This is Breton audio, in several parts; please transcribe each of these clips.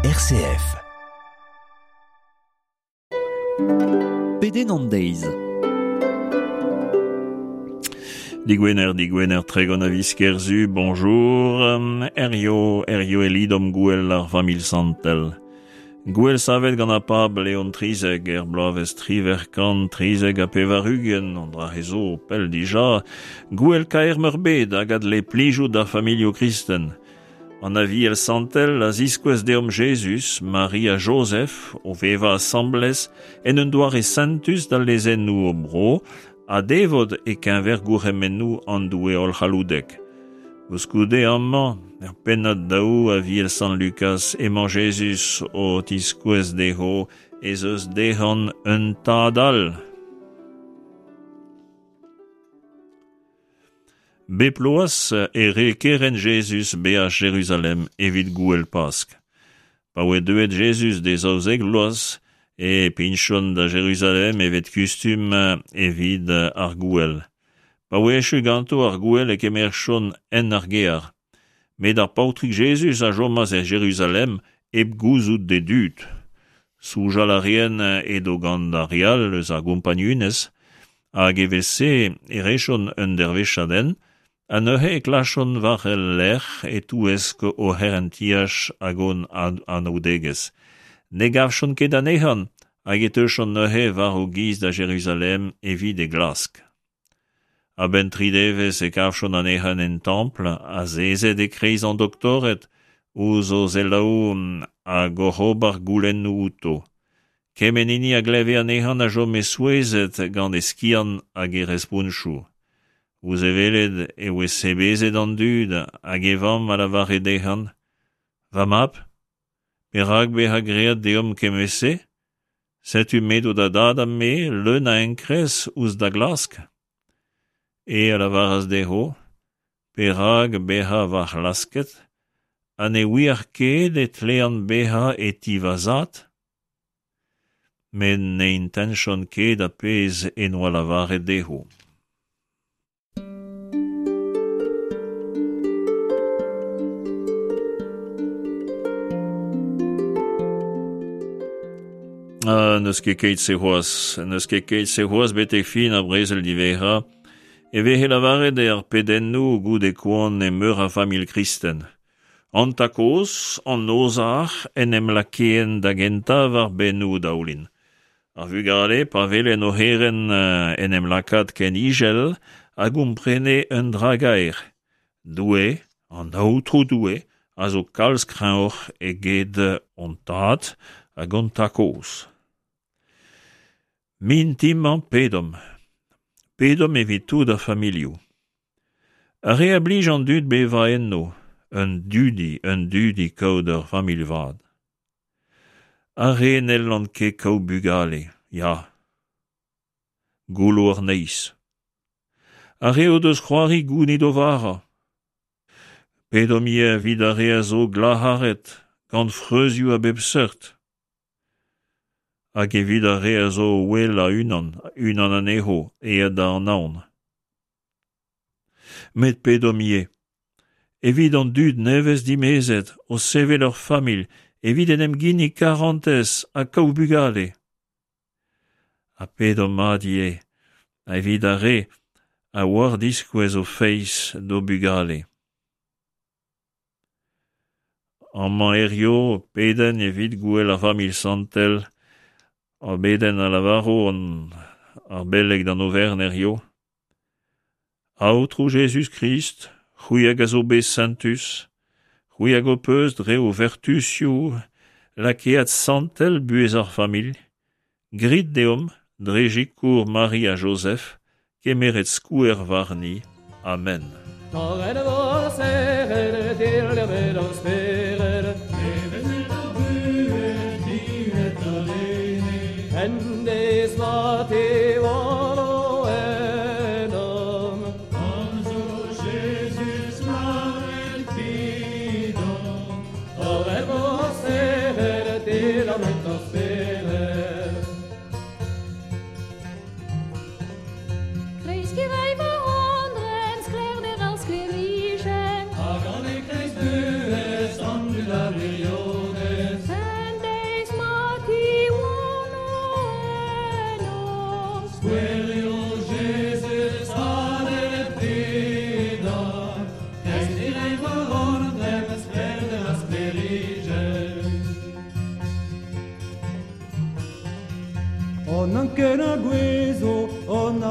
RCF. Pedenn an deiz. Digwener, digwener, 30 a viz Kerzu, bonjour. Herrio, herrio e lidomp gouel ar familh santel. Gouel savet gant ar pab Leon Trizek er bloavezh 1893, an dra zo pell dija, gouel kaer meurbet hag a dle plijout d'ar familhoù kristen. An Aviel santel a ziskouez deomp Jezuz, Mari ha Jozef, o vevañ asambles en un doare sentus d'al lezennoù o bro ha devot e-keñver gourc'hemennoù an Doue hollc'halloudek. Koulskoude amañ, er pennad daou Aviel Sant Lukaz, emañ Jezuz o tiskouez dezho ez eus dezhañ un tad all. Bep bloaz e re kerent Jezuz beaj Jeruzalem evit gouel Pask. Pa oe deuet Jezuz d'e zaouzek vloaz e pignchont da Jeruzalem evet kustum evit ar gouel. Pa oe echu ganto ar gouel e kemerchont hent ar gear. Met ar paotrig Jezuz a chomas e Jeruzalem hep gouzout d'e dud. Soñjal a reent edo gant ar re all eus ar gompagnunezh hag evel-se e rejont un dervezhiad hent ha neuze e klaskjont war e lerc'h e-touesk o c'herentiaj hag o anaoudegezh. Ne gavjont ket anezhañ hag e teujont neuze war o giz da Jeruzalem evit e glask. A-benn tri devezh e kavjont anezhañ en templ, azezet e-kreiz an doktored, ouzh o selaou hag oc'h ober goulennoù outo. Kement hini a gleve anezhañ a chome souezhet gant e skiant hag e respontoù. Ouzh e welet e oe sebezet an dud hag e vamm a lavare dezhañ: Va mab, perak bezañ graet deomp kement-se? Setu m'edo da dad ha me leun a enkrez ouzh da glask. Eñ a lavaras dezho: Perak bezañ va c'hlasket ha ne ouiec'h ket e tlean bezañ e ti va zad? Met ne intentjont ket ar pezh en doa lavaret dezho. Ah, n'eus ket keit-se c'hoazh, n'eus ket keit-se c'hoazh betek fin ar brezel diwezhañ, e veze lavaret er pedennoù goude koan e meur a familh kristen. An tad-kozh, an ozhac'h en em lakaent da gentañ war bennoù o daoulin. Ar vugale, pa welent o c'herent en em lakaat ken ijel, a gomprene un dra gaer. Doue, an Aotrou Doue, a zo kalz kreñvoc'h eget hon tad hag hon tad-kozh. Mintin-mañ pedomp. Pedomp evit tout ar familhoù. Ar re a blij an dud bevañ enno, un dudi, un dudi kaout ur familh vat. Ar re n'hellont ket kaout bugale, ya. Goullo ar neizh. Ar re o deus c'hoari gounit o vara. Pedomp ivez evit ar re a zo glac'haret gant freuzioù a bep seurt. Hag evit ar re a zo o ouelañ unan, unan anezho aet da Anaon. Met pedomp ivez evit an dud nevez dimezet o sevel ur familh evit en em ginnig karantez ha kaout bugale. Ha pedomp mat ivez evit ar re a oar diskouez o feiz d'o bugale. Amañ hirio pedenn evit gouel ar familh santel, ar bedenn a lavaro an ar beleg d'an oferenn hirio. Aotrou Jezuz-Krist, c'hwi hag a zo bet sentus, c'hwi hag ho peus dre ho vertuzioù lakaet santel buhez ar familh, grit deomp, dre sikour Mari ha Jozef, kemeret skouer warni. Amen.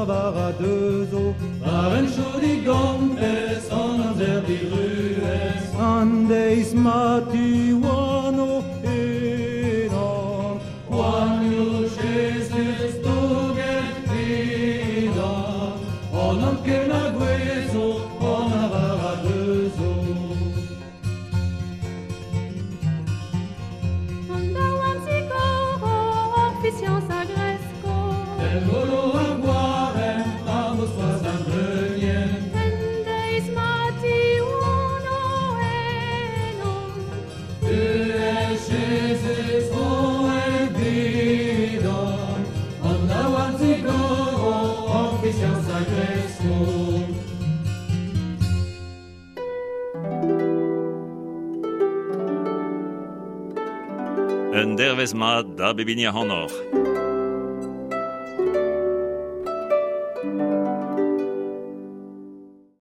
an a deuzo War en chodi gantez an amzer diruez An deiz ma tiwano enan Poanio Jesus douget vidan An anken a gwezo an a deuzo An daouarn zigoro, hor fiziañs a gresko. El golo ar gwarem, ar moskoaz ar bleunien. En deiz ma tiwano enon. Buhez Jesus roet vidon, an daouarn zigoro, hor fiziañs a gresko. Un dervez mat da bep hini ac'hanoc'h.